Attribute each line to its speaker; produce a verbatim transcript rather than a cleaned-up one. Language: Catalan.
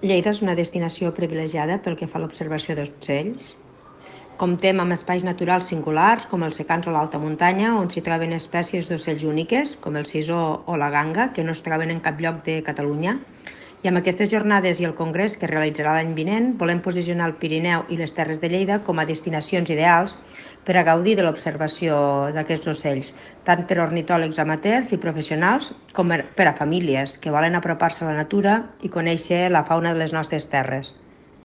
Speaker 1: Lleida és una destinació privilegiada pel que fa a l'observació d'ocells. Comptem amb espais naturals singulars, com els secans o l'alta muntanya, on s'hi troben espècies d'ocells úniques, com el sisó o la ganga, que no es troben en cap lloc de Catalunya. I amb aquestes jornades i el congrés que es realitzarà l'any vinent, volem posicionar el Pirineu i les Terres de Lleida com a destinacions ideals per a gaudir de l'observació d'aquests ocells, tant per a ornitòlegs amateurs i professionals com per a famílies que volen apropar-se a la natura i conèixer la fauna de les nostres terres.